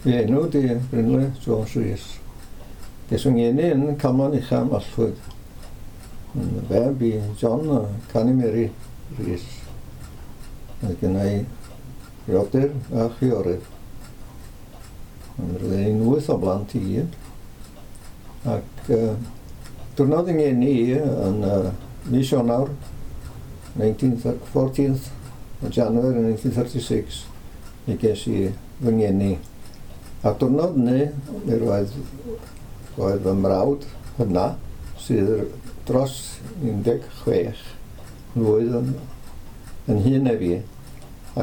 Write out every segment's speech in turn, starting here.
Fy enw di Brynle Jones Rees. Ges fy ngeni yn Camlan Ucha, Mallwyd. Yn feb i John a Canny Mary Rees. Mae gen i frodyr a chwiorydd. Ond roedd ni'n wyth o blant i gyd. Ac diwrnod yng ngeni i yn mis Ionawr 19, 14th o January 1936 mi ges i fy ngeni. A diwrnod hynny mi roedd, roedd fy mrawd hynna sydd dros 16 mlwydd yn, yn hŷn na fi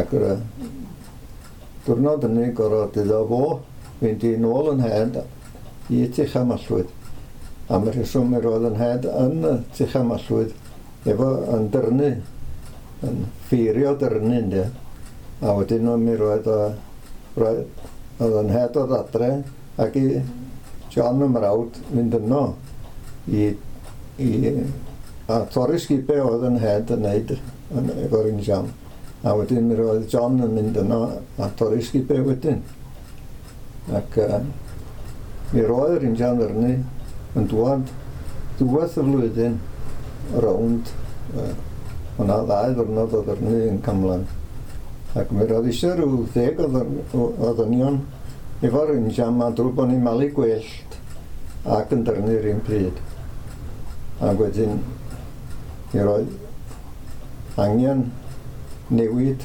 ac yr diwrnod hynny gorfod iddo fo fynd i nôl yn nhed i Tucha Mallwyd. Am y rheswm mi roedd yn nhed yn Tucha Mallwyd efo yn dyrnu, yn ffeirio dyrnu ynde. A wedyn mi roedd, roedd, oedd yn nhed oedd adre ac i John y mrawd fynd yno i, i a torri sgubau oedd yn nhed yn neud yn, efo'r injan. A wedyn mi roedd John yn mynd yno a torri sgubau wedyn. Ac mi roedd yr injan ddyrnu yn dŵad diwedd y flwyddyn rownd o'na ddau ddwrnod o ddyrnu yn Camlan. Ac mi roedd eisiau rhyw 10 o ddynion efo'r injan ma drwy bod ni'n malu gwellt ac yn dyrnu'r un pryd. Ac wedyn mi roedd angen newid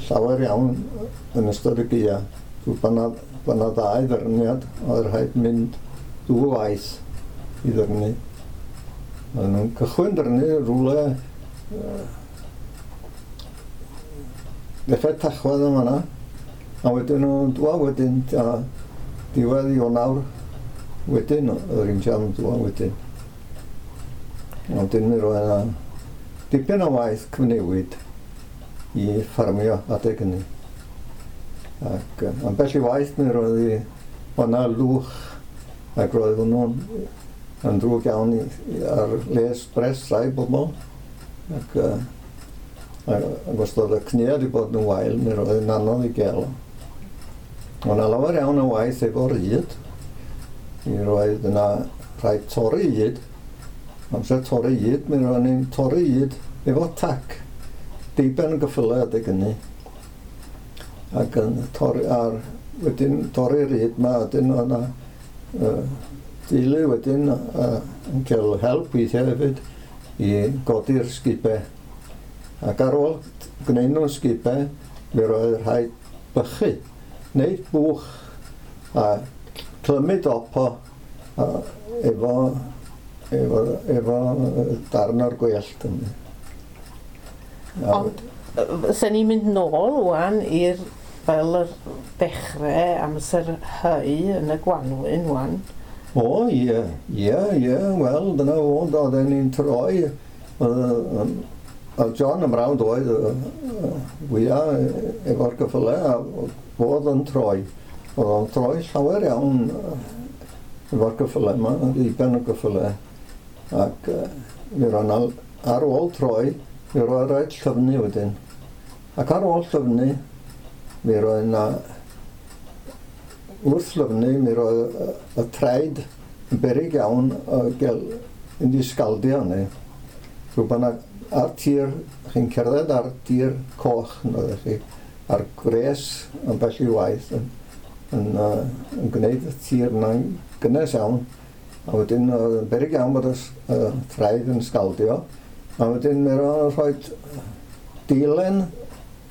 llawer iawn yn ystod y gaea. Drwy bod 'na, bod 'na ddau ddyrniad oedd rhaid mynd ddwy waith i ddyrnu. Oedden nhw'n cychwyn dyrnu rhywle ddechrau Tachwedd yn fanna, a wedyn nhw'n dwa wedyn a diwedd Ionawr wedyn yr injan yn dwa wedyn. Wedyn mi roedd yna dipyn o waith cyfnewid i ffarmio adeg hynny. Ac ambell i waith mi roedd i o'na lwch ac roedd hwnnw'n yn ddrwg iawn i, i, ar les bres rai bobl. Ac, ac os oedd y cnua wedi bod yn wael, mi roedd yn anodd i gael o. O'na lawer iawn o waith efo'r ŷd. Mi roedd yna rhaid torri ŷd. Amser torri ŷd, mi roedd ni'n torri ŷd efo tac. Deuben gyffylau adeg hynny. Ac yn torri ar, wedyn torri'r ŷd ma, wedyn oedd yna deulu wedyn yn cael help weithiau hefyd i godi'r sgubau. Ac ar ôl gwneud nhw'n sgubau, mi roedd rhaid bychu, wneud bwch a clymu dop o a efo, efo, efo darn o'r gwellt. Ond sen ni'n mynd nôl ŵan i'r fel yr dechrau amser hau yn y gwanwyn ŵan. O ie, ie, ie, wel dyna fo, oedden ni'n troi. Oedd John y mrawd oedd fwyaf efo'r gyffylau a fodd yn troi. Oedd o'n troi llawer iawn efo'r gyffylau yma, ddiben y gyffylau. Ac mi roedd 'na, ar ôl troi, mi roedd rhaid llyfnu wedyn. Ac ar ôl llyfnu, mi roedd 'na, wrth lyfnu, mi roedd y traed yn beryg iawn o gael mynd i sgaldio hynny. Rhyw bod 'na ar tir, chi'n cerdded ar dir coch, yn chi, a'r gwres ambell i waith yn, yn, yn gwneud y tir yna'n gynnes iawn. A wedyn oedd yn beryg iawn bod y traed yn sgaldio. A wedyn mi roedd rhoi deilen,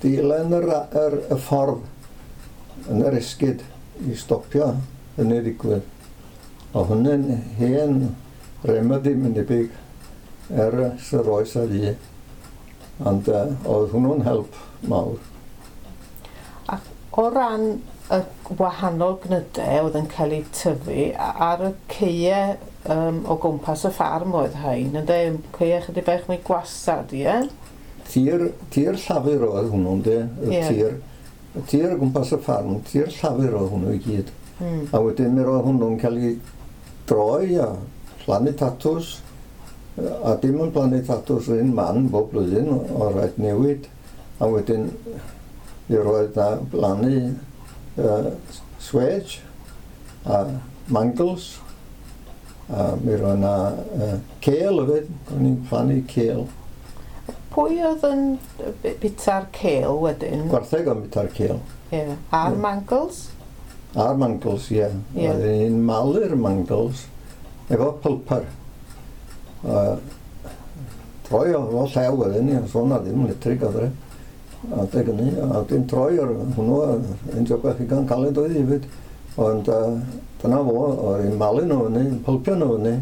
deilen yr, yr, y ffordd yn yr esgid i stopio hynny ddigwydd. O hynny'n hen remedy mynd debyg ers yr oes a fu. Ond oedd hwnnw'n help mawr. Ac o ran y wahanol gnydau oedd yn cael eu tyfu ar y caeau o gwmpas y ffarm oedd rhain, ynde? Caeau chydig bach mwy gwastad, ie? Tir, tir llafur oedd hwnnw, ynde? Y tir, y tir o gwmpas y ffarm, tir llafur oedd hwnnw i gyd. A wedyn mi roedd hwnnw'n cael ei droi a plannu tatws, a dim yn plannu tatws yr un man bob blwyddyn, o rhaid newid. A wedyn mi roedd na blannu Swedge a mangles, a mi roedd yna cêl hefyd, o'n i'n plannu cêl. Pwy oedd yn bita'r cêl wedyn? Gwartheg o'n bita'r cêl. Ie. Yeah. A'r mangles? A'r mangles, ie. Yeah. Yeah. Oedden ni'n malu'r mangles efo pulper. Troi o llew wedyn ni, so na ddim litrig oedd e. Adeg hynny, a wedyn troi o'r hwnnw, yn job i gan caled oedd hefyd. Ond dyna fo, oedd hi'n malu nhw fyny, yn pulpio nhw fyny,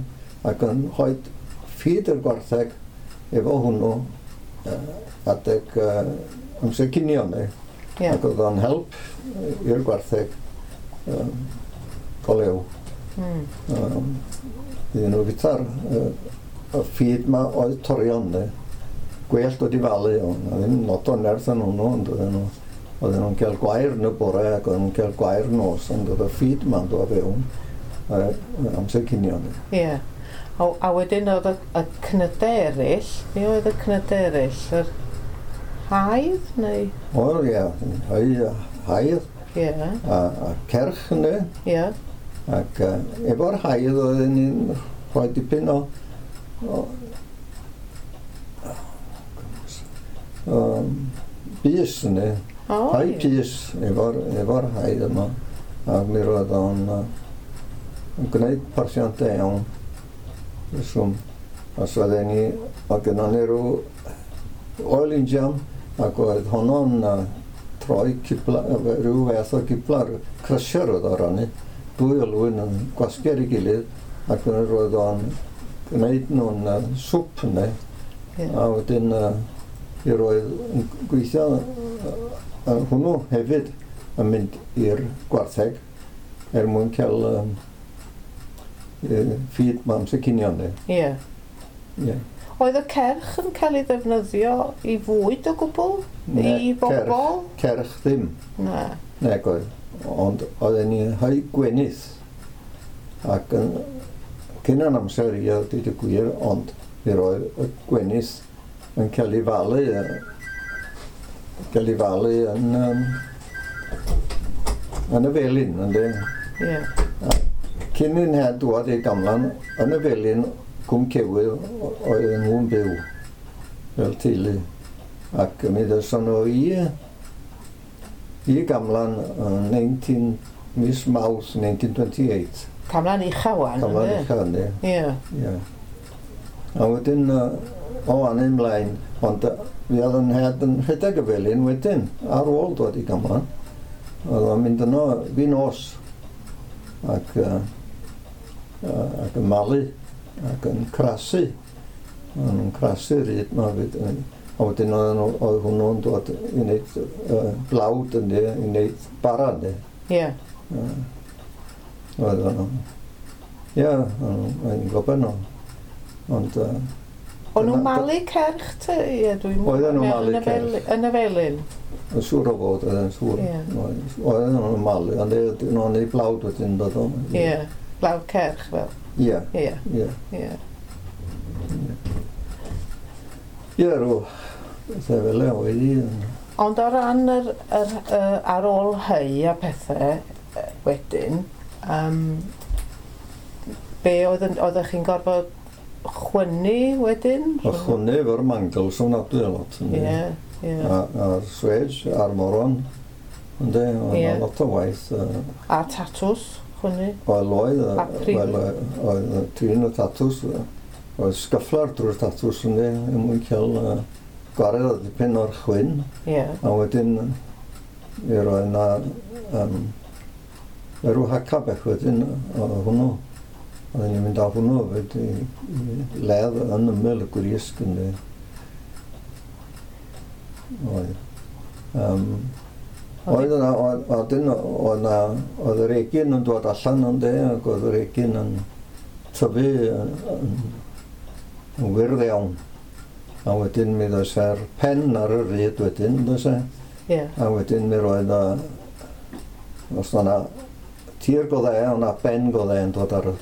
ac yn rhoi ffid i'r gwartheg efo hwnnw adeg amser cinio ni. Yeah. Ac oedd o'n help i'r gwartheg go lew. Iddyn nhw fita'r y ffid ma oedd torion ni. Gwellt wedi falu, ond ddim lot o nerth yn hwnnw, ond oedden nhw'n cael gwair yn y bore ac oedden nhw'n cael gwair nos, ond oedd y ffid ma'n dod fewn amser cinio ni. Ie. Yeah. A wedyn oedd y cnydau eraill, be oedd y cnydau eraill? Yr haidd neu? O ie, haidd. Ie. A cerch ynddo. Ie. Ac efo'r haidd oedden ni'n rhoi dipyn o bys ynddo. Rhai pys efo'r haidd yma. Ac mi roedd o'n gwneud porthiant da iawn. Reswm. Os oedden ni, oedd gynnon ni rhyw oil injam, ac oedd honno'n troi cipla, rhyw fath o gipla, crusher oedd o rannu, dwy olwyn yn gwasgu ar ei gilydd, ac roedd o'n gwneud nhw'n sŵp yna. Yeah. A wedyn i roedd yn gweithio hwnnw hefyd yn mynd i'r gwartheg er mwyn cael ffid ma amser cinio ni. Ie. Yeah. Oedd y cerch yn cael ei ddefnyddio i fwyd o gwbl? Ne, I bobl? Cerch ddim. Na. Nag oedd. Ond oedden ni'n rhoi gwenith. Ac yn cyn yn amser i a dweud y gwir, ond mi roedd y gwenith yn cael ei falu, yn y felin, ynddi? Ie. Yeah. Cyn i'n het dŵad i Gamlan, yn y felin, Cwm Cewydd, oedden nhw'n byw fel teulu. Ac mi ddyson nhw i Gamlan yn mis Mawrth 1928. Camlan ucha wan, ynddi? Camlan ucha, ynddi. Ie. Ie. A wedyn, o fan ymlaen, ond fi oedd yn het yn rhedeg y felin wedyn, ar ôl dod i Gamlan. Oedd o'n mynd yno fi nos, ac yn malu, ac yn crasu. O'n nhw'n crasu'r ryd ma fyd. A wedyn oedd hwnnw'n dod i wneud blawd ynddi, i wneud bara ynddi. Ie. Oedd o'n... Ie, o'n gwybod nhw. Ond... O'n nhw'n malu cerch te? Ie, dwi'n... Oedden nhw'n malu cerch. Yn y felin? Yn siŵr o fod, oedd yn siŵr. Oedden nhw'n malu, ond oedden nhw'n ei blawd wedyn dod o. Ie, blawd cerch fel. Ie. Ie. Ie. Ie. Ie, rhyw bethau fel e oedd i. Ond o ran yr ar ôl hei a pethau wedyn, be oeddech chi'n gorfod chwynnu wedyn? O chwynnu efo'r mangles ofnadwy a lot. Ie, ie. A'r swedge, a'r moron, ynddi, oedd Ie. lot o waith. A tatws, chwynnu? Oedd, A prif. oedd trin y tatws, oedd sgyfflar drwy'r tatws ynddi, er mwyn cael gwared o dipyn o'r chwyn. Ie. A wedyn, mi roedd yna rhyw haca bech wedyn o hwnnw. Oedden ni'n mynd â hwnnw hefyd i ledd yn ymyl y grisg ynddi. Oedd. Oedd yna, oedd yr egin yn dod allan ynddi, ac oedd yr egin yn tyfu yn wyrdd iawn. A wedyn mi ddoes e'r pen ar y ryd wedyn, does e? Ie. A wedyn mi roedd os o'na tir go dde, o'na ben go dde yn dod ar y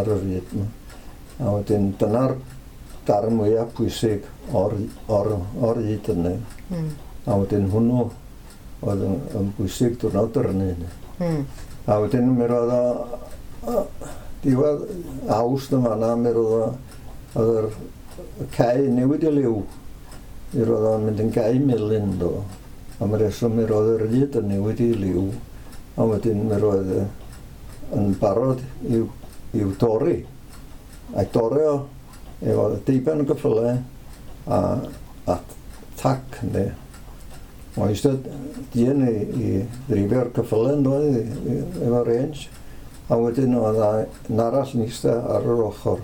ryd. A wedyn dyna'r darn mwyaf pwysig o'r ryd yna. Mm. A wedyn hwnnw oedd yn bwysig diwrnod dyrnu. A wedyn mi roedd o diwedd Awst yn fanna, mi roedd o, oedd yr cae newid i liw. Mi roedd o'n mynd yn gae melyn do. A mi reswm mi roedd yr ryd yn newid i liw. A wedyn mi roedd yn barod i'w dorri. A'i dorri o efo deuben o gyffylau a tac, ynddi. Oedd eistedd dyn i ddrifio'r cyffylau yn doedd, efo range. A wedyn oedd un arall yn eistedd ar yr ochr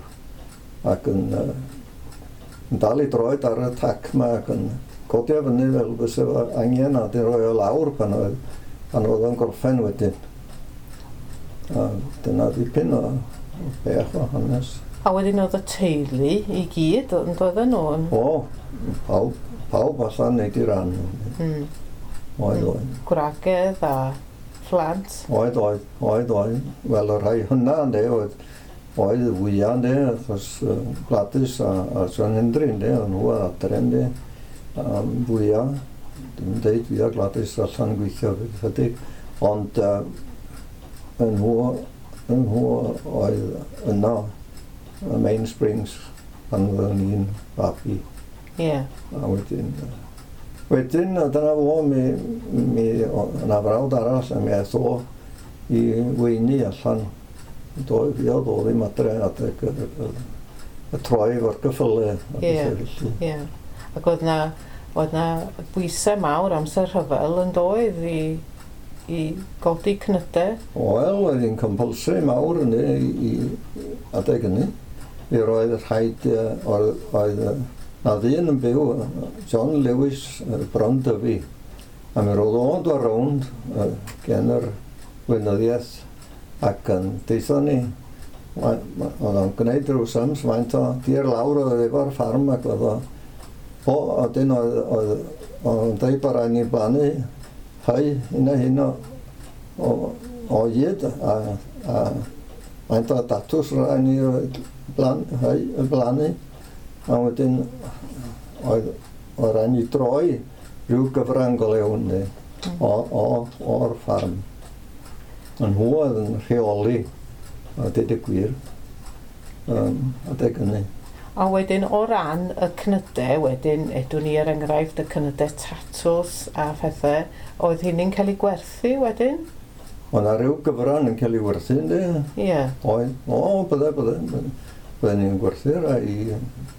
ac yn dal i droed ar y tac yma ac yn codi o fyny fel fysa fo angen a dyn rhoi o lawr pan oedd o'n gorffen wedyn. A dyna dipyn o bech o hanes. A wedyn oedd y teulu i gyd yn doedden nhw? O, pawb allan neud i ran. Oedd. Gwragedd a phlant? Oedd. Wel, y rhai hynna, ynddi, oedd fwyaf, ynddi, achos Gladys a John Hendry, ynddi, oedd nhw ar adre, ynddi, fwyaf, dim deud fwyaf Gladys allan gweithio chydig, ond nhw oedd yno, y Main Springs, pan oeddwn i'n babi. Ie. A wedyn, dyna fo, mi yna frawd arall, a mi aeth o i weini allan. Fi oedd o ddim adre adeg y troi efo'r gyffylau. Ie. Ac oedd na bwysau mawr amser rhyfel yn doedd i godi cnydau? Wel, oedd hi'n compulsory mawr yn i adeg hynny. Mi roedd rhaid, oedd na ddyn yn byw, John Lewis Bron Dyfi, a mi roedd o'n dod rownd gen yr weinyddiaeth ac yn deitha ni, oedd o'n gwneud rhyw sums, faint o dir lawr oedd efo'r ffarm ac oedd o, wedyn oedd o'n deud bod rhaid ni blannu hau hyn a hyn o hyd a faint o datws rhaid ni blannu. A wedyn oedd rhaid ni droi rhyw gyfran go lew o'r ffarm. Yn nhw oedd yn rheoli, a deud y gwir, adeg hynny. A wedyn o ran y cnydau, wedyn, edwn ni er enghraifft y cnydau tatws a phethau, oedd hynny'n cael ei gwerthu wedyn? Oedd 'na rhyw gyfran yn cael ei werthu, ynddi? Ie. Oedd. O, bydde. Bydde ni'n gwerthu rai i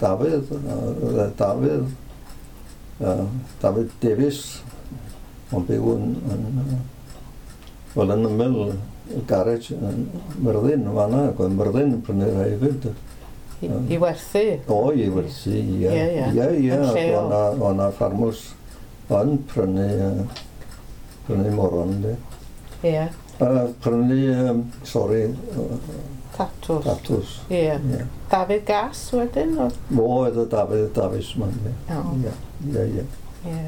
Dafydd, Dafydd Davies, o'n byw yn ymyl y garej yn Myrddin, yn fan'na, ac oedd Myrddin yn prynu rai hefyd. I werthu? O, i werthu, ie. Ie. Oedd 'na ffarmwrs yn prynu moron, ynddi. Ie. Prynu, tatws. Tatws. Ie. Dafydd Gas wedyn? Fo oedd y Dafydd Davies man, ie. Ie.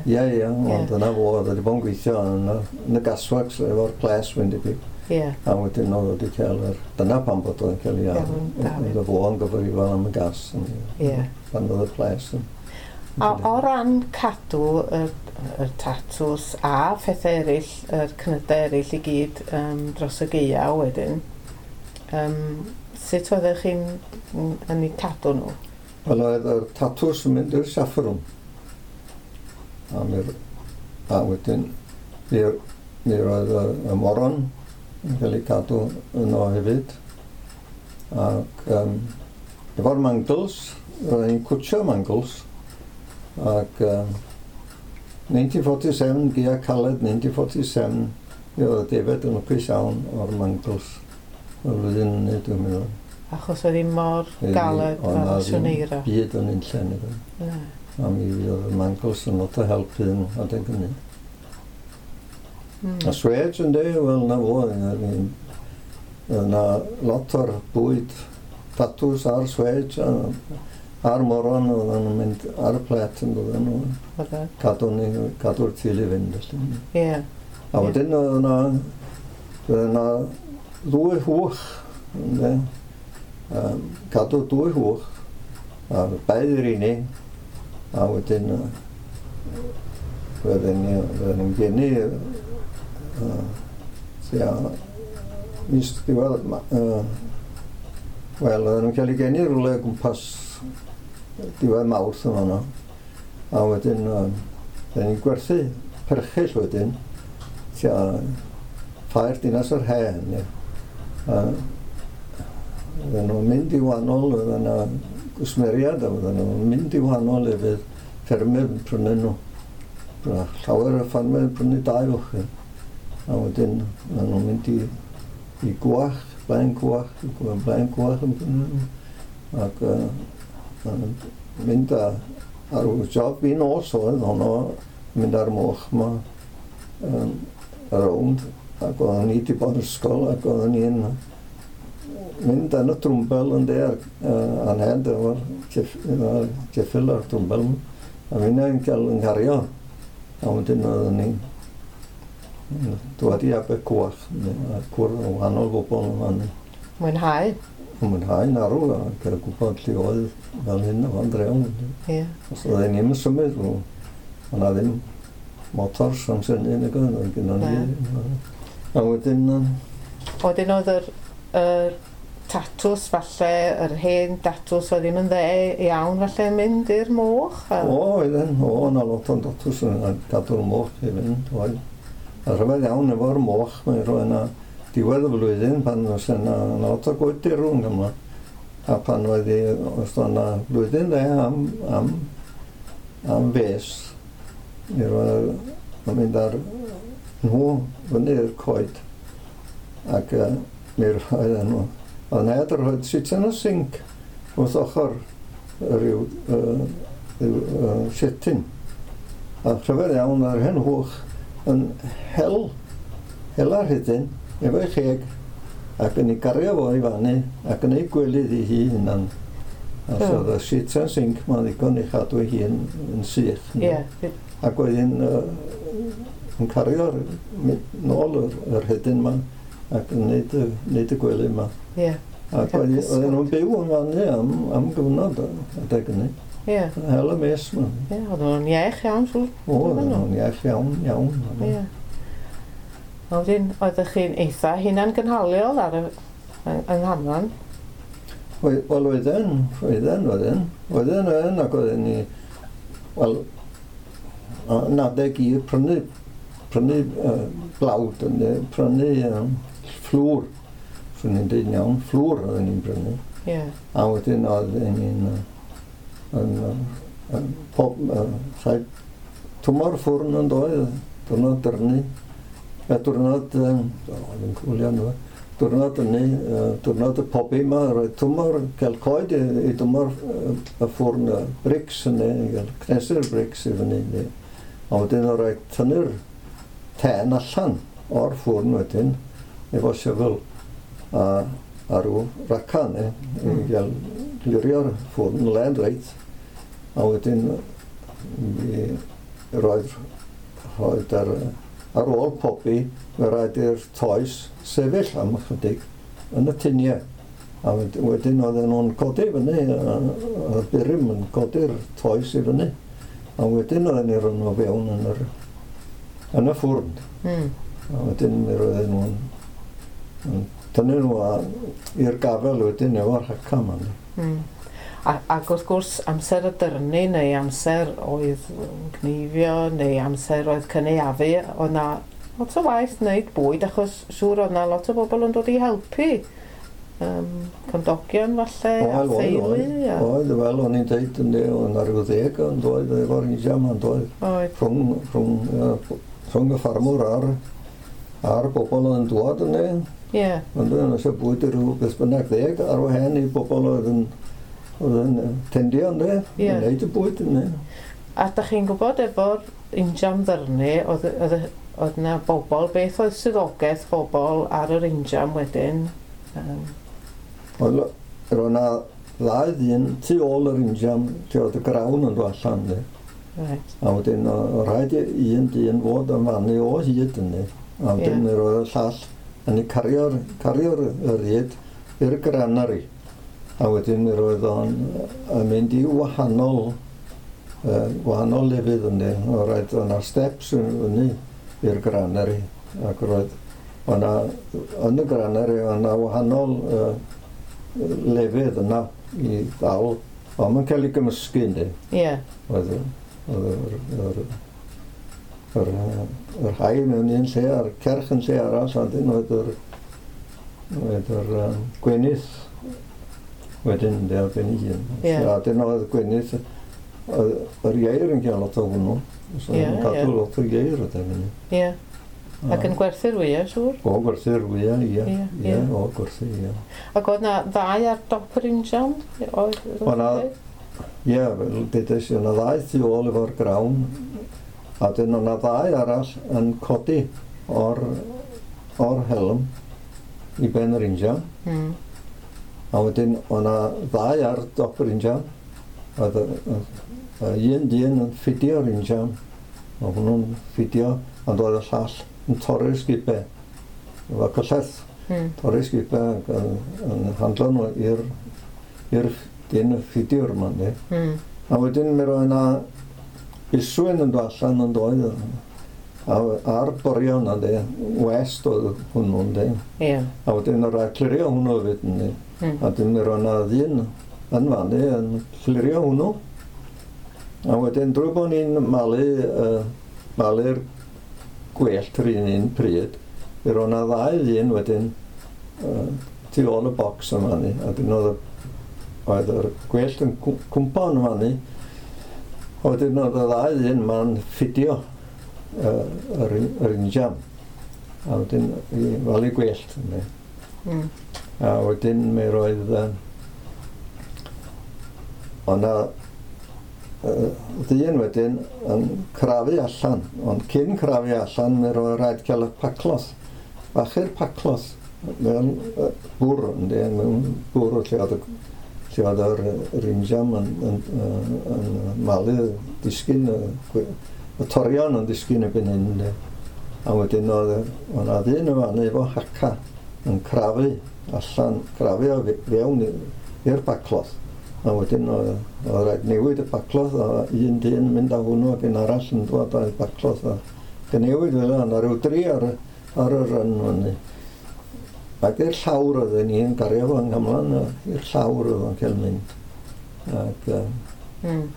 Ie, ond dyna fo, oedd wedi bod yn gweithio yn y gasworks efo'r ples, mae'n debyg. Ie. A wedyn oedd wedi cael yr... Dyna pam bod oedd yn cael ei ar. Oedd fo yn gyfrifol am y gas. Ie. Pan oedd y ples. A o ran cadw y tatws a phethau eraill, yr cnydau eraill i gyd dros y gaeaf wedyn, sut oeddech chi'n yn eu cadw nhw? Wel, oedd y tatws yn mynd i'r saffrwm. A wedyn, mi roedd y moron yn cael ei cadw yno hefyd. Ac efo'r mangles, roedd ni'n cwtio mangles. Ac 1947, gaea caled 1947, mi oedd y defaid yn lwcus iawn o'r mangles. Y flwyddyn hynny, dwi'n meddwl. Achos oedd hi mor galed ar y siwneira. Byd yn unlle nid oedd. A mi oedd y mangles yn lot o helpu yn adeg hynny. A swêj ynddi, wel na fo, yna lot o'r bwyd tatws a'r swêj a'r moron oedden nhw'n mynd ar y plet yn dod nhw. Cadw'r teulu fynd. Ie. A wedyn oedd yna ddwy hwch, ynddi. Cadw dwy hwch, a baedd i'r unig, a wedyn Oedden ni'n geni tua mis diwedd, wel, oedden nhw'n cael ei geni rhywle o gwmpas diwedd Mawrth yma yno. A wedyn, oedden ni'n gwerthu perchyll wedyn, tua ffair Dinas yr Hen. Oedden nhw'n mynd i wahanol, oedden nhw gwsmeriad, a oedden nhw'n mynd i wahanol lefydd, ffermydd yn prynu nhw. Llawer o ffermydd yn prynu 2 fuchyn. A wedyn, oedden nhw'n mynd i Gwach, Blaen Gwach, Blaen Gwach yn prynu nhw. Ac mynd ar job i nos oedd honno, mynd ar moch yma rownd, ac oedden ni wedi bod yn ysgol, ac oedden ni'n mynd yn y trwmbel yn de, anhed efo'r ceffyl a'r trwmbel, a finnau'n cael yng nghario. A wedyn oedden ni'n dod i Abercwach, a cwrdd o wahanol bobl yma. Mwynhau? Mwynhau yn arw, a cael gwybod lle oedd fel hyn o fan drewn. Ie. Os oedden ni'n symud, oedd yna ddim motors amser hynny, nag oedd, oedd gynnon ni. A wedyn... Wedyn oedd yr tatws falle, yr hen datws oedd ddim yn dde iawn falle yn mynd i'r moch? O, oedden, o, yna lot o'n datws yn gadw'r moch i fynd, oedd. A rhyfedd iawn efo'r moch, mae'n rhoi yna diwedd y flwyddyn pan oes yna lot o goed derw yn Gymru. A pan oedd hi, os oedd yna flwyddyn dde am fes, mi roedd yn mynd ar nhw fyny i'r coed. Ac mi roedd nhw. Oedd ned yn rhoi sitan o sinc wrth ochr rhyw sityn. A rhyfedd iawn ar hen hwch yn hela'r rhedyn efo'i cheg ac yn ei gario fo i fannu ac yn ei gwelydd i hi hunan. A so oedd y sitan sinc ma'n ddigon i chadw ei hun yn sych. Yeah. Ac oedd hi'n yn cario'r nôl yr rhedyn yma ac yn neud y gwely yma. Yeah. Ac oedden nhw'n byw yn fannu am gyfnod adeg hynny. Ie. Hel y mes yma. Ie, oedden nhw'n iach iawn, siŵr. O, oedden nhw'n iach iawn, iawn. Ie. Wedyn, oeddech chi'n eitha hunan gynhaliol ar y yng Nghamlan? Wel, oedden, ac oedden ni, wel, yn adeg i prynu blawd, prynu fflwr, swn i'n dweud iawn, fflwr oedden ni'n prynu. Yeah. A wedyn oedden ni'n rhaid tymor ffwrn yn doedd, diwrnod dyrnu, diwrnod, oedd yn cwlio nhw, diwrnod hynny, diwrnod y pobi yma, roedd tymor, cael coed i dymor y ffwrn, y brics hynny, gael cnesu'r brics i fyny. A wedyn oedd rhaid tynnu'r ten allan o'r ffwrn wedyn, efo sifil a rhyw raca neu, i gael glirio'r ffwrn len reit. A wedyn mi roedd ar ôl pobi, fe rhaid i'r toes sefyll am ychydig yn y tiniau. A wedyn oedden nhw'n codi fyny, y burum yn codi'r toes i fyny. A wedyn oedden ni rhoi nhw fewn yn y ffwrn. A wedyn mi roedden nhw'n tynnu nhw i'r gafel wedyn efo'r haca yma. Ac wrth gwrs, amser y dyrnu neu amser oedd gneifio neu amser oedd cynaeafu, oedd na lot o waith wneud bwyd achos siŵr oedd na lot o bobl yn dod i helpu. Cymdogion falle, a theulu. Oedd, wel, o'n i'n deud yn oedd na rhyw 10 yn doedd efo'r injam yn doedd. Rhwng y ffarmwr a'r bobl oedd yn dwad yn ei. Ie. Ond oedd eisiau bwyd i rhyw beth bynnag 10 ar wahân i bobl oedd yn tendio yn ei, yn neud y bwyd yn ei. A dach chi'n gwybod efo'r injam ddyrnu, oedd na bobl, beth oedd swyddogaeth bobl ar yr injam wedyn? Wel, roedd na ddau ddyn tu ôl yr injam, lle oedd y grawn yn dod allan. Right. A wedyn, oedd rhaid i un dyn fod yn fannu o hyd ynddi. A wedyn roedd y llall yn ei cario'r rhyd i'r granary. A wedyn mi roedd o'n mynd i wahanol Gwahanol lefydd ynddi. Roedd yna steps yn fyny i'r granary ac roedd o'na, yn y granary o'na wahanol lefydd yna i ddal, ond mae'n cael ei gymysgu ynddi. Ie. Oedd yr rhai mewn un lle a'r cerch yn lle arall, a dyn oedd yr gwenith wedyn ynddi ar ben ei hun. Ie. A dyn oedd gwenith, yr ieir yn cael lot o hwnnw. So Ie, yn cadw ie. lot o ieir oedd hynny. Ie. Ac yn gwerthu'r wyau, siŵr? O, gwerthu'r wyau, ie. Ie, Ie, ie. o, gwerthu, ie. Ac oedd na ddau ar dop yr injan? Oedd? O' 'na- Ie, fel dedes i, o'na ddau tu ôl efo'r grawn, a dyn o'na ddau arall yn codi o'r helm i ben yr injan. A wedyn o'na ddau ar dop yr injan, oedd un dyn yn ffidio'r injan, oedd hwnnw'n ffidio, ond oedd y llall yn torri'r sgubau, efo cyllell. Torri sgubau ac yn handlo nhw i'r dyn y ffidiwr yma, yndi. A wedyn mi roedd yna iswyn yn dod allan yn doedd, a ar borion yndi, west oedd hwnnw, yndi. Ie. A wedyn oedd rhaid clirio hwnnw hefyd, yndi. A wedyn mi roedd yna ddyn yn fannu yn clirio hwnnw. A wedyn drwy bod ni'n malu'r gwellt yr un pryd, mi roedd yna ddau ddyn wedyn tu ôl y bocs yn fannu. A wedyn oedd yr gwellt yn cwmpo yn fannu. A wedyn oedd y ddau ddyn ma'n ffidio yr injan. A wedyn i falu gwellt. Yndi. A wedyn mi roedd o'na ddyn wedyn yn crafu allan, ond cyn crafu allan mi roedd rhaid cael y pacloth, fachu'r pacloth mewn bwr, yndi, mewn bwr lle oedd yr injan yn malu, disgyn, y torion yn disgyn erbyn hyn, yndi. A wedyn oedd o'na ddyn yn fan'na efo haca yn crafu allan, crafu o fewn i'r bacloth. A wedyn oedd rhaid newid y bacloth, a un dyn yn mynd â hwnnw ac un arall yn dod â'r bacloth. A newid fel yna, rhyw dri ar y rhan fyny. Ac i'r llawr oedden ni yn gario fo yng Nghymlan, i'r llawr oedd o'n cael mynd. Ac a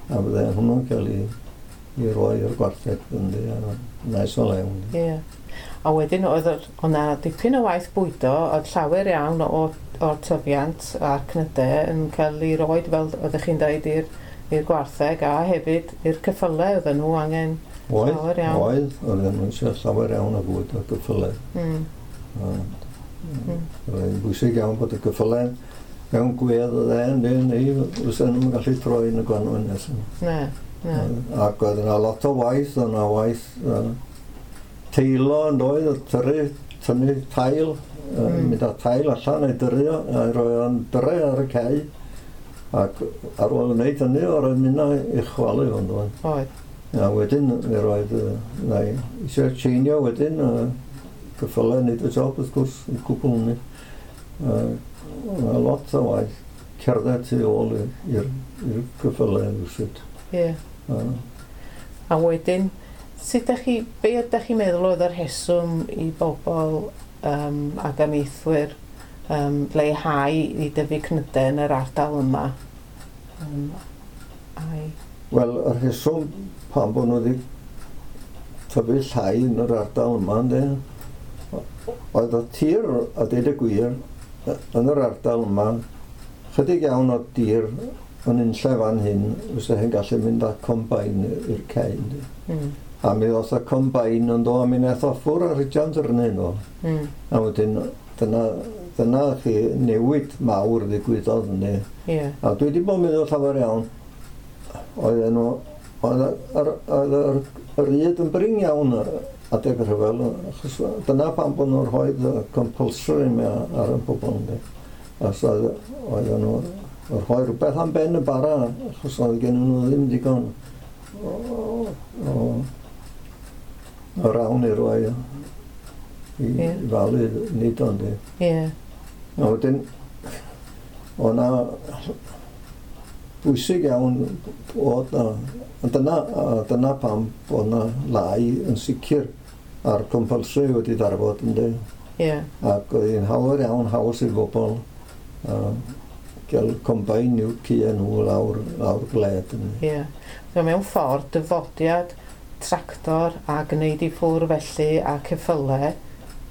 fydde hwnnw'n cael ei roi i'r gwartheg yndi, a maes o lew. Ie. A wedyn oedd o'na dipyn o waith bwydo, oedd llawer iawn o'r tyfiant a'r cnydau yn cael ei roed, fel oeddech chi'n dweud, i'r gwartheg a hefyd i'r ceffylau oedden nhw angen llawer iawn. Oedd, oedden nhw eisiau llawer iawn o fwyd o'r ceffylau. Oedd yn bwysig iawn bod y ceffylau mewn gwedd oedd e, neu fysa nhw'n gallu troi yn y gwanwyn nesaf. Ne, ne. Ac oedd yna lot o waith, oedd yna waith teilo yn doedd, tynnu tail, mynd â tail allan a'i dyrru, a roi o'n dyrru ar y cae, ac ar ôl wneud hynny, oedd mynd i chwalu fo'n doedd. Oedd. A wedyn, mi roedd, na i eisiau tseinio wedyn, ceffylau wneud y job, wrth gwrs, yn cwbl hynny. Oedd lot o waith cerdded tu ôl i'r ceffylau rywsut. Ie. A wedyn, be ydych chi'n meddwl oedd yr rheswm i bobl ac amaethwyr leihau i dyfu cnydau yn yr ardal yma? Wel, y rheswm pam bod nhw wedi tyfu llai yn yr ardal yma, ynddi, oedd y tir, a deud y gwir, yn yr ardal yma, chydig iawn o dir yn unlle fan hyn, fysa hi'n gallu mynd â combine i'r cae, ynddi. A mi ddoth y combine yn do, a mi wnaeth o ffwrdd ar Richard dyrnu nhw. A wedyn, dyna chi newid mawr ddigwyddodd ynddi. Yeah. A dwi wedi bod yn meddwl llawer iawn, oedd yr yd yn brin iawn adeg y rhyfel, achos dyna pam bod nhw'n rhoi compulsory ar y bobl ynddi. Achos oedden nhw'n rhoi rhywbeth am ben y bara, achos oedd gen nhw ddim digon o rawn i roi i falu nid ond i. Ie. A wedyn, o'na bwysig iawn bod na, a dyna pam bod na lai yn sicr a'r compulsory wedi darfod, ynddi. Ac oedd hi'n hawdd iawn haws i bobl gael combine i'w cïe nhw lawr gled, ynddi. Ie. So mewn ffordd, dyfodiad tractor a gwneud i ffwr felly a ceffylau,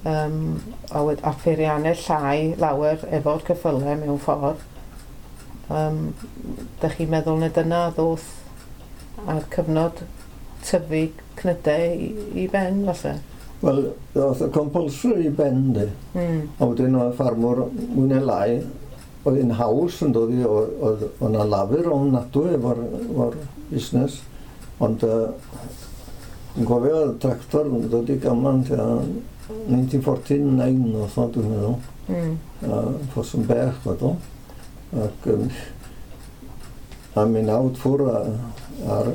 a pheiriannau llai lawer efo'r ceffylau mewn ffordd. Dych chi'n meddwl na dyna ddoth a'r cyfnod tyfu cnydau i ben, falle? Wel, oedd y compulsory i ben, di. A wedyn oedd ffarmwr mwy neu lai, oedd hi'n haws yn dod i, oedd yna lafur ofnadwy efo'r busnes. Ond dwi'n cofio tractor yn dod i Gamlan tua 1949 oedd o, dwi'n meddwl. Ffos yn bech oedd o. Ac a mi nawd ffwr ar,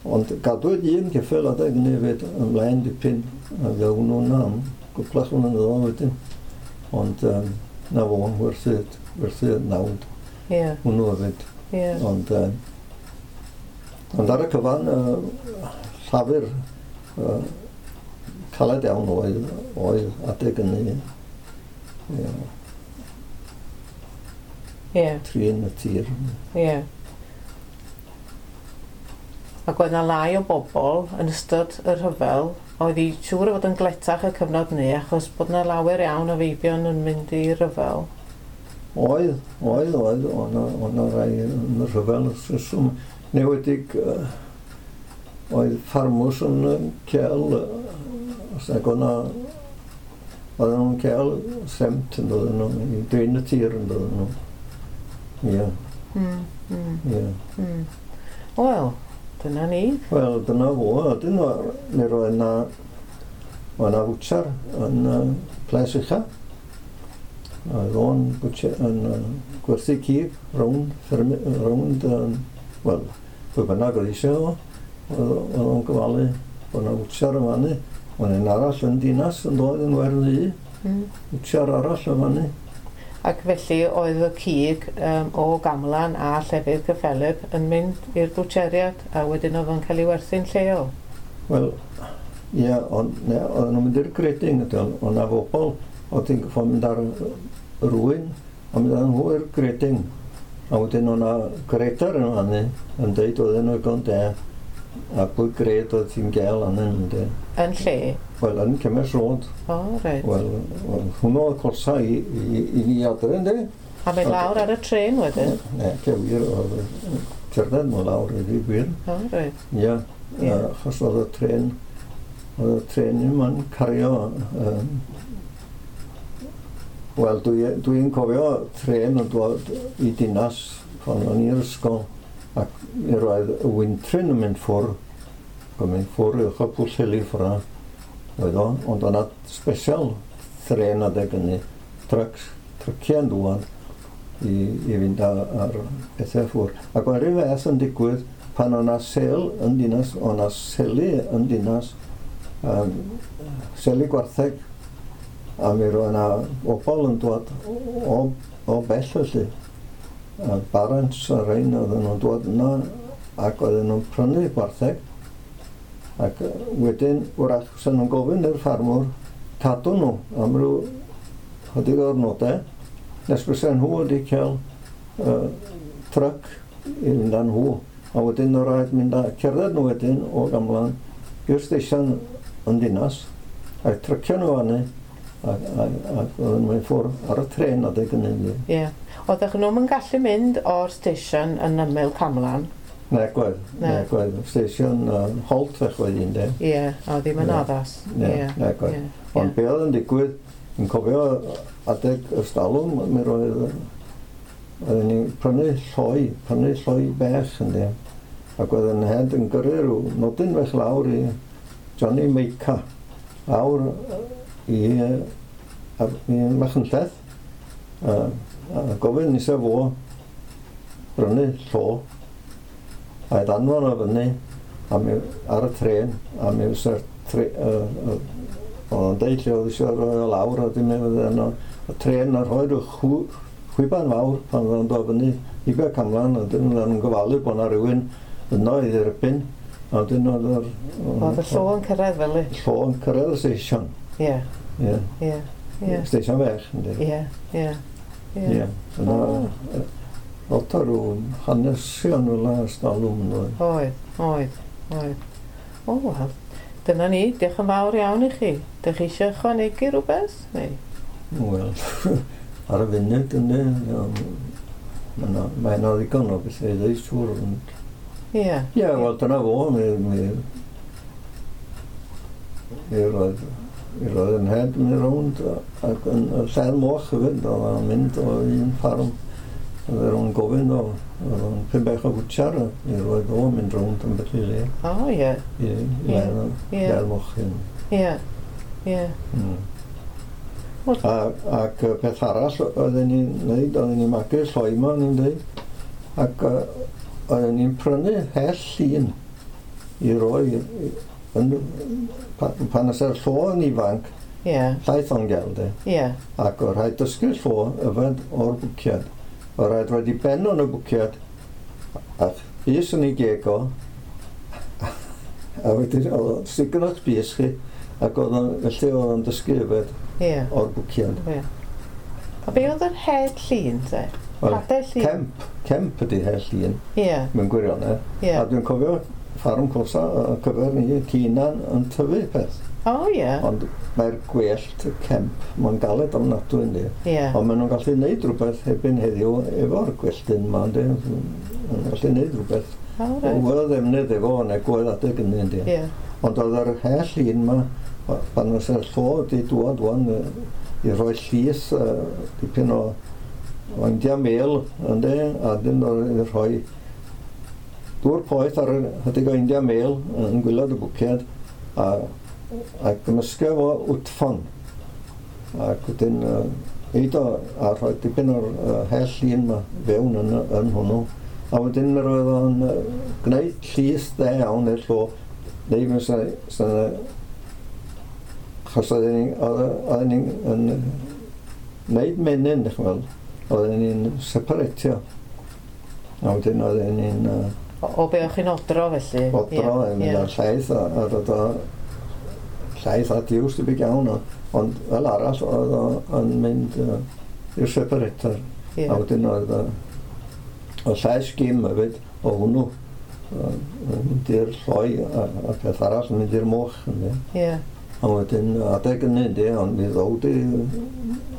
ond gadwyd un ceffyl adeg hynny hefyd ymlaen dipyn, a fe hwnnw'n am gwplach flynyddoedd wedyn. Ond na fo, werthu nawd hwnnw hefyd. Ond ar y cyfan, llafur caled iawn oedd adeg hynny. Ie, trin y tir. Ie. Ac oedd 'na lai o bobl yn ystod y rhyfel, oedd hi siŵr o fod yn gletach y cyfnod 'ny, achos bod 'na lawer iawn o feibion yn mynd i ryfel. Oedd, oedd 'na rai yn y rhyfel wrth reswm. Newedig oedd ffarmwrs yn cael, os nag oedd 'na, oedden nhw'n cael semt yn dod nhw, i drin y tir yn dod nhw. Ie, ie. Wel, dyna ni. Wel, dyna fo, ydyn nhw, mi roedd 'na fwtsar yn Ples Ucha. Oedd o'n bwtcher yn gwerthu cig rownd, rownd, wel, pwy bynnag oedd eisiau o, oedd o'n gofalu bod 'na fwtsar yn fannu. Oedd un arall yn Dinas yn dod yn werdd i, fwtsar arall yn fannu. Ac felly oedd y cig o Gamlan a llefydd cyffelyb yn mynd i'r bwtseriad a wedyn oedd o'n cael ei werthu'n lleol. Wel, ie, ond ne, oedden nhw'n mynd i'r grading, ydyn, oedd 'na bobl oedd ti'n gorfod mynd ar rwy'n, a mynd â nhw i'r grading. A wedyn oedd 'na grader yn fannu yn deud oedden nhw ddigon de, a pwy grade oedd ti'n gael anyn nhw, de. Yn lle? Wel, yn Cemers Road. O, reit. Wel, hwnnw oedd cosa i ni adre, ynddi? A mynd lawr ar y trên wedyn? Ne, ce wir, oedd cerdded nhw lawr i fi gwir. O, reit. Ie, achos oedd y trên ddim yn cario. Wel, dwi'n dwi cofio trên yn dod i Dinas pan o'n i'r ysgol, ac mi roedd y wyntryn yn mynd ffwr, yn mynd ffwr uwch o Pwllheli ffwrdd, oedd o, ond o'na special trên adeg hynny, trucks, tryciau yn dŵad i fynd ar pethau ffwr. Ac oedd rhyw fath yn digwydd pan o'na sel yn Dinas, o'na seli yn Dinas, seli gwartheg, a mi roedd yna bobl yn dod o bell felly. A barons a rhain oedden nhw'n dod yna ac oedden nhw'n prynu gwartheg. Ac wedyn, wrach, fysa nhw'n gofyn i'r ffarmwr cadw nhw am ryw chydig o ddwrnodau, nes bysa nhw wedi cael truck i fynd â nhw. A wedyn oedd rhaid mynd â cerdded nhw wedyn o Gamlan i'r stesion yn Dinas, a trycio nhw fyny, ac oedden nhw'n mynd ffwrdd ar y tren adeg hynny. Ie. Oeddech nhw'n yn gallu mynd o'r stesion yn ymyl Camlan? Ne, gwedd, Ne. ne, gwedd. Stesion halt fech oedd un, de. Ie, o ddim yn addas. Ne, ne, gwedd. Ond be oedd yn digwydd, yn cofio adeg y stalwm, mi roedd, oedden ni'n prynu lloi bech, ynddi. Ac oedd yn head yn gyrru rhyw nodyn fech lawr i Johnny Meica, lawr i Machynlleth, a gofyn eisiau fo brynu llo, a i ddanfon o fyny a mi, ar y tren, a mi fysa'r tre, oedd o'n deud lle oedd eisiau rhoi o lawr, a dim fydde yno, y tren yn rhoi rhyw chwiban fawr pan oedden nhw'n dod fyny i be Camlan, a dyn nhw'n gofalu bod yna rhywun yno i dderbyn, a dyn oedd yr... Oedd y llo yn cyrraedd fel i? Llo yn cyrraedd y stesion. Ie. Ie. Ie. Ie. Stesion fech, yndi. Ie, ie. Ie. Yna, lot o rhyw hanesion fel yna stalwm yn dod. Oedd, oedd, oedd. O, wel, dyna ni. Diolch yn fawr iawn i chi. Dych chi eisiau ychwanegu rhywbeth? Neu? Wel, ar y funud, ynddi, mae yna ddigon o bethau i ddweud siŵr. Ie. Ie, wel, dyna fo. Mi roedd yn head mynd rownd ac yn y lled moch hefyd, oedd o'n mynd o un ffarm. Oedd o'n gofyn o, oedd o'n pum bech o fwtsiar, mi roedd o'n mynd rownd yn beth i le. O, ie. I ledd moch hyn. Ie, ie. Ac peth arall oedden ni'n neud, oedden ni'n magu lloi yma, o'n i'n dweud, ac oedden ni'n prynu hell llun i roi pan oes yr llo yn ifanc, llaeth o'n gel, de. Ac oedd rhaid dysgu'r llo yfed o'r bwciad. Oedd rhaid rhaid i ben o'n y bwciad, a bys yn ei geg o, a wedyn oedd o'n stigon o'ch bys chi, ac oedd o'n, felly oedd o'n dysgu yfed o'r bwciad. Ie. A be oedd yr head llun, te? Hadau llun? Cemp ydy head llun, mewn gwirionedd. A dwi'n cofio ffarm Cosa ar gyfer ni, Ceinan yn tyfu peth. O, ie. Ond mae'r gwellt, y cemp, mae'n galed ofnadwy, yndi. Ie. Ond maen nhw'n gallu gwneud rhywbeth hebyn heddiw efo'r gwelltyn yma, yndi. Maen nhw'n gallu gwneud rhywbeth. O, reit. Oedd ddefnydd efo, neu gwedd adeg hynny, yndi. Ie. Ond oedd yr hell un yma, pan oedd yr llo wedi dŵad wan, i roi llys, dipyn o India mel, yndi, a dyn oedd i rhoi dŵr poeth ar ychydig o India mel yn gwylod y bwciad, a gymysgu fo wtffon. Ac wedyn eid o a rhoi dipyn o'r hell un yma fewn yn hwnnw. A wedyn mi roedd o'n gwneud llys dde iawn i'r llo, neu mi achos oedden ni'n gwneud menyn, dych chi'n weld, oedden ni'n separatio. A wedyn oedden ni'n... O be o'ch chi'n odro felly? Odro, yn mynd ar llaeth a dod o llaeth a diws debyg iawn, ond fel arall oedd o'n mynd i'r separator. A wedyn oedd o llaeth sgim hefyd o hwnnw, yn mynd i'r lloi a peth arall yn mynd i'r moch. Ie. A wedyn adeg hynny, yndi, ond mi ddod i,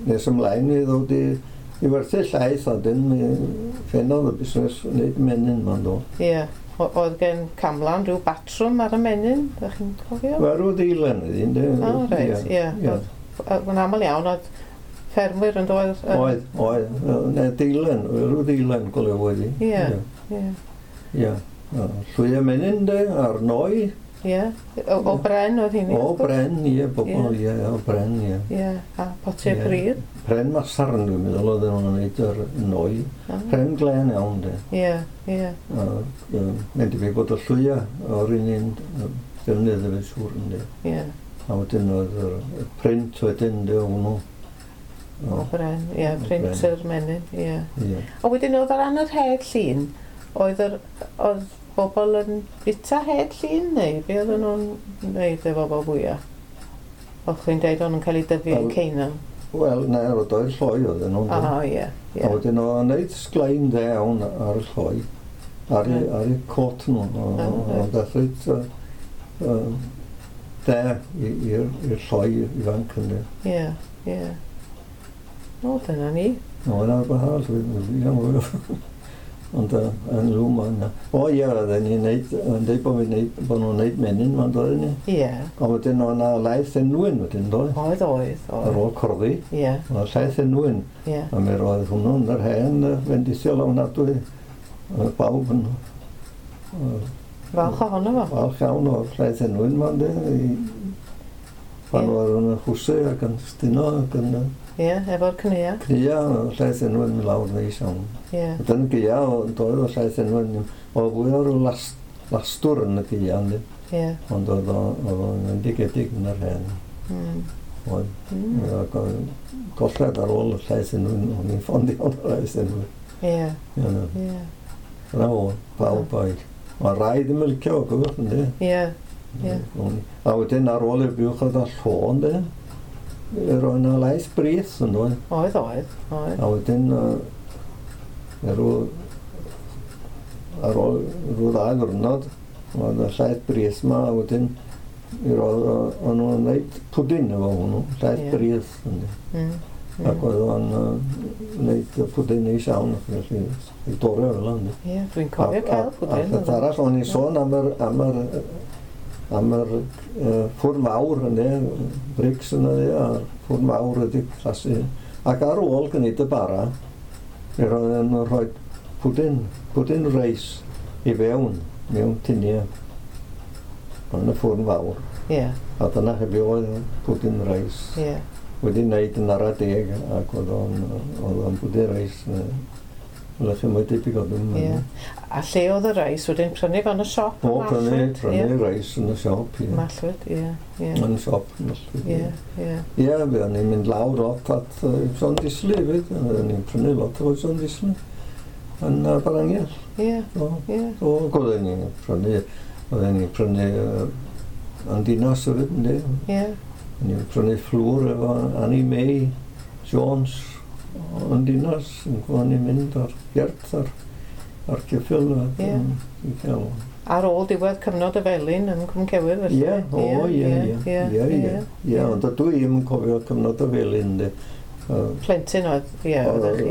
nes ymlaen mi ddod i werthu llaeth a dyn mi ffenodd y busnes wneud menyn ma'n do. Ie. Oedd gen Camlan rhyw batrwm ar y menyn, ydych chi'n cofio? Wel, rhyw ddeilen oedd hi'n, de. O, reit, ie. Mae'n aml iawn, oedd ffermwyr yn dod... Oedd, oedd. Ne, deilen, rhyw deilen golew oedd hi. Ie, ie. Ie. Llwy y menyn, de, a'r noi. Ie, o bren oedd hynny? O bren, ie, bobl, ie, o bren, ie. Ie, a potiau pridd? Pren masarn, dwi'n meddwl, oedd nhw'n gwneud yr noi. Pren glên iawn, de. Ie, ie. Mae'n debyg bod y llwya o'r un un defnydd efo siŵr, ynddi. Ie. A wedyn oedd y print wedyn, de, o hwnnw. O bren, ie, print yr menyn, ie. A wedyn oedd ar ran yr head llun, oedd oedd bobl yn bita head llun neu be oedden nhw'n wneud efo fo fwyaf? O'ch chi'n deud o'n nhw'n cael ei dyfu yn Ceinan? Wel, na, oedd o'r lloi oedden nhw'n. O, ie. A wedyn o'n wneud sglein dde iawn ar y lloi, ar eu cot nhw. O'n beth reit dde i'r lloi ifanc ynddi. Ie, ie. O, dyna ni. O, yna rhywbeth arall, dwi'n Ond yn rhwm yna. O ie, oedden ni'n neud, yn deud bod nhw'n neud menyn ma'n doedden ni. Ie. Ond wedyn oedd yna laeth enwyn wedyn, doedd? Oedd, oedd. Ar ôl corddi. Ie. Oedd llaeth enwyn. Ie. A mi roedd hwnnw'n yr hen fendithiol ofnadwy. Oedd bawb yn... Falch ohono fo. Falch iawn o'r llaeth enwyn ma'n dweud. Pan oedd yn chwsu ac yn stino ac yn... Ie, efo'r cnua. Cnua, llaeth enwyn mynd lawr neis iawn. Ie. Wedyn gaea, doedd o llaeth enwyn, oedd fwy o ryw lastwr yn y gaea, yndi. Ie. Ond oedd o'n endigedig yn yr hen. Oedd. Ac oedd colled ar ôl y llaeth unwaith, o'n i'n ffond iawn o'r llaeth unwaith. Ie. Ie. Dyna fo, pawb oedd. Mae rai ddim yn licio o, gwybod, ynddi? Ie. Ie. A wedyn ar ôl i'r buwch oedd y llo, ynddi? Roedd yna laeth brith, yn dod. Oedd, oedd, oedd. A wedyn, ar ôl rhyw ddau ddwrnod, oedd y llaeth brith yma, a wedyn roedd o'n nhw'n gwneud pwdin efo hwnnw, llaeth brith, ynddi. Ac oedd o'n gwneud pwdin neis iawn, felly i dorri fel ynddi. Ie, dwi'n cofio cael pwdin. A peth arall, o'n i'n sôn am yr ffwrn fawr, ynddi, brics yna, a'r ffwrn fawr wedi clasu. Ac ar ôl gwneud y bara, roedd yn rhoi pwdin reis i fewn, mewn tiniau, yn y ffwrn fawr. Ie. A dyna hefyd oedd pwdin reis. Ie. Wedi wneud yn ara deg, ac oedd o'n pwdin reis. Wel, chi mwy debyg o ddim. Ie. A lle oedd y reis wedyn prynu fan y siop? O, prynu reis yn y siop, ie. Mallwyd, ie. Yn y siop, Mallwyd, ie. Ie, ie, fe o'n i'n mynd lawr lot at John Disley hefyd. O'n i'n prynu lot o John Disley yn Barangell. Ie, ie. O, oedden ni'n prynu yn dinas hefyd, ynddi? Ie. O'n i'n prynu fflwr efo Annie May Jones yn dinas, yn gwybod ni'n mynd ar gert ar ceffyl. Ie. Ar ôl diwedd cyfnod y Felin yn Cwm Cewydd, felly? Ie, o, ie, ie. Ie, ond dydw i ddim yn cofio cyfnod y Felin, ynddi. Plentyn oedd, ie, oeddech chi?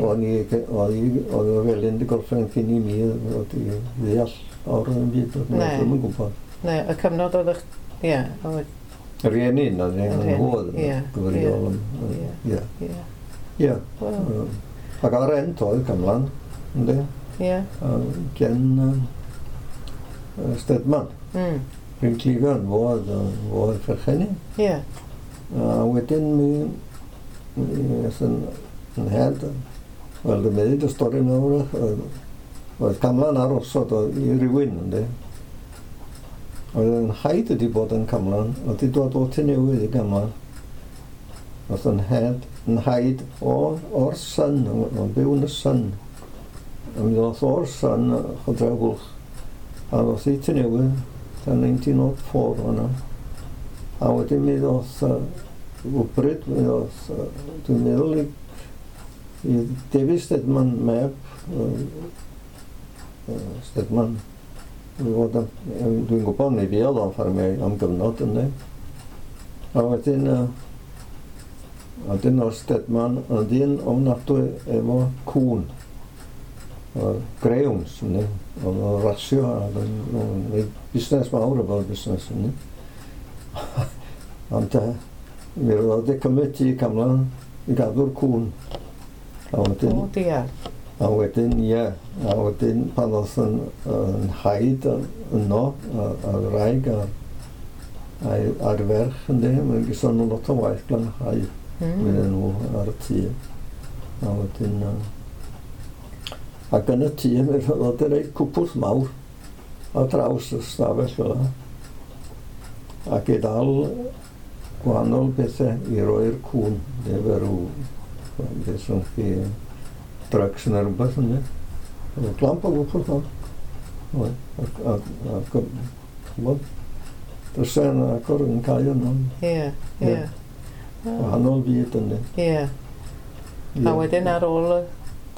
Oedd y Felin wedi gorffen cyn i mi, oedd i ddeall o'r yn byd, oedd ddim yn gwybod. Ne, y cyfnod oedd eich, ie, oedd... Y rhieni, na, nhw oedd yn gyfrifol. Ie. Ie. Ac ar rent oedd Camlan, ynddi? Ie. Gen Stedman. Rwy'n Cleveland, fo oedd perchenni. Ie. A wedyn mi aeth yn head, wel, dwi'n meddwl y stori nawr, oedd Camlan ar osod i rywun, ynddi? Oedd yn haid wedi bod yn Camlan, oedd wedi dod o Tŷ Newydd i Gamlan. Oedd yn head, yn haid o'r Sun, o'n byw yn y Sun. A mi ddoth o'r Sun, Chodrew Bwlch, a ddoth i Tŷ Newydd, tan 1904 o'na. A wedyn mi ddoth wbryd, mi ddoth, dwi'n meddwl i David Stedman meb, Stedman, dwi'n gwybod mi fuodd o'n ffarmio am gyfnod ynddi. A wedyn, o'r Stedman yn ddyn ofnadwy efo cŵn, greyhounds, ynddi. Oedd o'n rasio, a oedd o'n gwneud busnes mawr efo'r busnes, ynddi. Ond mi roedd wedi cymryd i Camlan i gadw'r cŵn. A wedyn, o, diar. A wedyn, ie, a wedyn pan oedd yn haid yno, a'r wraig a'r ferch, ynddi, mae'n gyson nhw lot o waith glanhau iddyn nhw ar y tŷ. A wedyn, ac yn y tŷ, mi roedd wedi rhoi cwpwrdd mawr ar draws y stafell fel yna, ac i ddal gwahanol bethau i roi'r cŵn, efo rhyw, beth sy'n chi, drugs neu rhywbeth, ynddi. Oedd clamp o gwpwrdd mawr. Ac, ch'mod, drysau yn agor yn cau yno. Ie, ie. Wahanol fyd, ynddi. Ie. A wedyn ar ôl y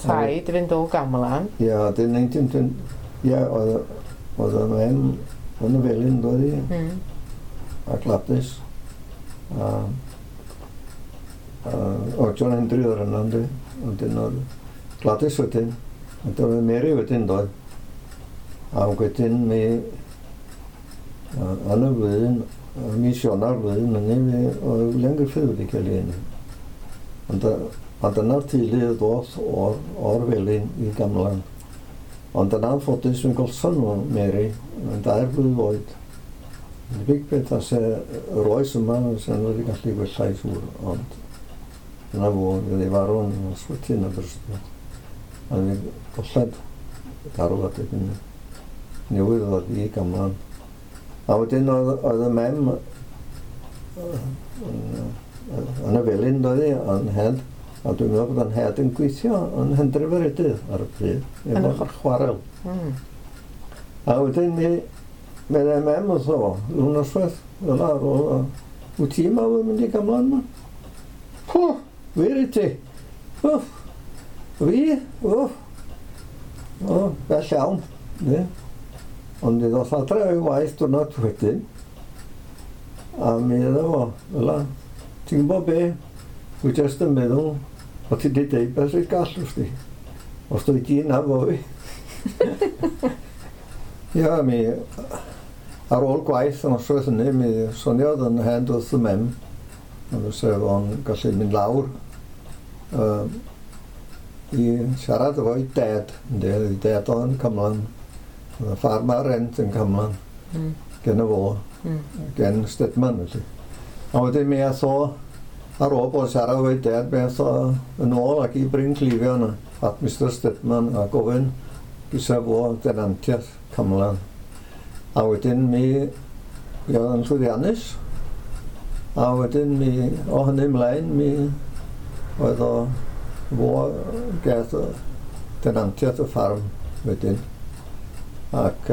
taid fynd o Gamlan. Ie, wedyn 1920, ie, oedd y mem yn y Felin, doedd hi, a Gladys. O, John Hendry oedd yna, ynddi. Wedyn oedd Gladys wedyn, a oedd Mary wedyn, doedd. A wedyn mi, yn y flwyddyn, mis Ionawr flwyddyn, hynny, mi oedd William Griffith wedi cael ei eni. Ond a dyna'r teulu ddoth o'r Felin i Gamlan. Ond yn anffodus, mi'n golson nhw, Mary, yn 2 blwydd oed. Debyg beth as yr oes yma, sy'n wedi gallu gwella i siŵr, ond dyna fo, fydd ei farw yn ysbyty yn Aberystwyth. A mi golled garw adeg hynny. Newydd ddod i Gamlan. A wedyn oedd y mem yn y felin doedd hi, yn head, a dwi'n meddwl bod yn head yn gweithio yn Hendref yr Edydd ar y pryd, efo'r chwarel. A wedyn mi, meddai mem wrtho fo, rhyw noswaith, fel ar ôl, wyt ti yma yn mynd i Gamlan yma? Pw, wir i ti? Wff, fi? Wff. O, bell iawn. Ne. Ond mi ddoth adre o'i waith diwrnod wedyn, a mi iddo fo, fel ti'n gwybod be? Dwi jyst yn meddwl, o ti di deud beth sy'n gall wrth ti. Os dwi di na fo fi. Ia, mi, ar ôl gwaith yn noswaith hynny, mi soniodd yn hen wrth y mem, a fysa fo'n gallu mynd lawr i siarad efo'i dad, ynddi, ei dad o'n Cymlan, oedd y ffarm ar rent yn Cymlan, gen y fo, gen Stedman felly. A wedyn mi ath o, ar ôl bod siarad efo'i dad, mi ath o yn ôl ac i Bryn Clefion at Mr Stedman a gofyn gysa fo denantiaeth Cymlan. A wedyn mi oedd yn llwyddiannus, a wedyn mi, o hynny ymlaen, mi oedd o fo gath denantiaeth y ffarm wedyn. Ac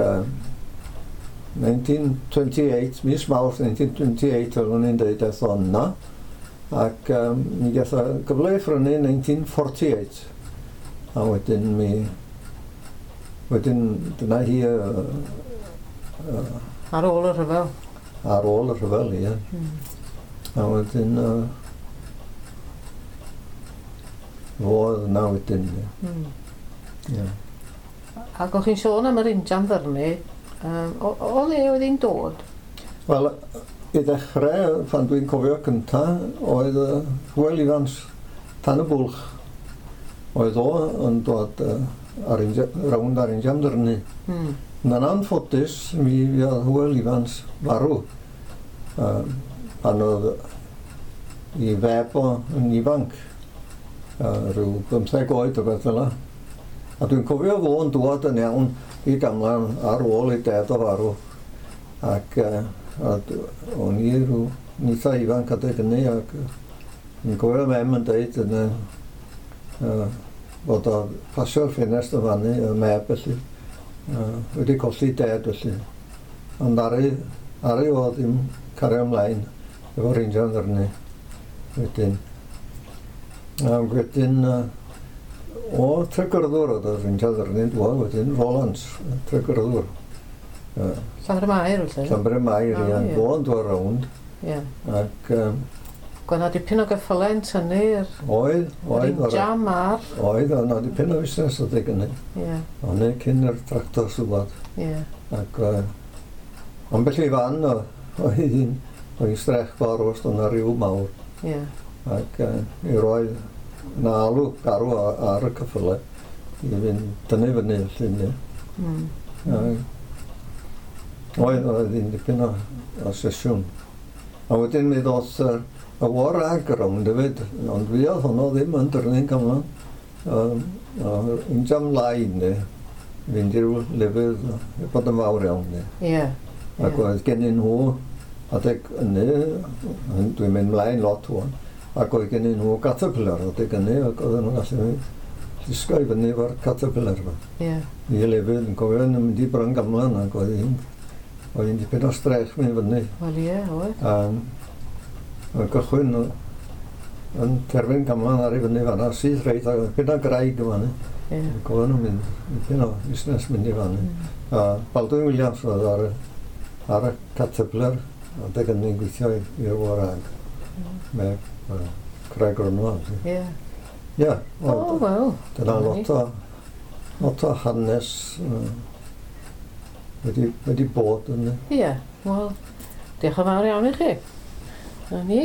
1928, mis Mawrth 1928, oeddwn i'n dweud aeth o yna, ac mi gath o gyfle i phrynu 1948. A wedyn mi, wedyn dyna hi ar ôl y rhyfel. Ar ôl y rhyfel, ie. A wedyn fo oedd yna wedyn, ie. Ie. Ac o'ch chi'n sôn am yr injan ddyrnu, o le oedd hi'n dod? Wel, i ddechrau, pan dwi'n cofio cynta, oedd Hywel Ifans, Tan y Bwlch. Oedd o yn dod ar rownd ar injan ddyrnu. Yn anffodus, mi fuodd Hywel Ifans farw pan oedd i feb o yn ifanc, rhyw 15 oed o beth fel 'na. A dwi'n cofio fo yn dŵad yn iawn i Gamlan ar ôl ei dad o farw. Ac o'n i rhyw eitha ifanc adeg hynny, ac dwi'n cofio mem yn deud yn bod o pasio'r ffenest yn fannu, y meb felly, wedi colli dad felly. Ond aru o ddim cario ymlaen efo'r injan ddyrnu wedyn. A wedyn o Tregyrddwr oedd yr injan ddyrnu'n dŵad wedyn, Rolands, Tregyrddwr. Llanfair Mair felly? Llanfair Mair, ie. Fo'n dŵad rownd. Ie. Ac Gweld na dipyn o geffylau yn tynnu'r Oedd. injan a'r Oedd, oedd na dipyn o fusnes adeg hynny. Ie. Ond cyn yr tractor sŵad. Ie. Ac ambell i fan oedd hi'n strech fawr os oedd 'na ryw mawr. Ie. Ac i roedd na alw garw ar y ceffylau i fynd dynnu fyny felly. Oedd hi'n dipyn o sesiwn. A wedyn mi ddoth y war ag rownd hefyd, ond fuodd honno ddim yn dyrnu'n Cymlan. Injan lai, ne, fynd i ryw lefydd, bod yn fawr iawn, ne. Ie. Ac oedd gennyn nhw, adeg hynny, dwi'n mynd mlaen lot ŵan, ac oedd gennyn nhw caterpillar adeg hynny, ac oedden nhw'n gallu llusgo i fyny efo'r caterpillar yma. Ie. I lefydd, yn cofio yn mynd i Bryn Gamlan, ac oedd hi'n dipyn o strech mynd fyny. Wel ie, oedd. Oedd gychwyn yn terfyn Gamlan ar i fyny fan'na, syth reit, ac oedd dipyn o graig yma. Ie. Cofio nhw'n mynd, dipyn o busnes mynd i fan'na. A Baldwin Williams oedd ar y caterpillar, adeg hynny'n gweithio i'r war ag. Mae Craig Gronfa. Ie. Ie. O, wel. Dyna lot o hanes wedi bod yn. Ie, wel, diolch yn fawr iawn i chi. Na ni.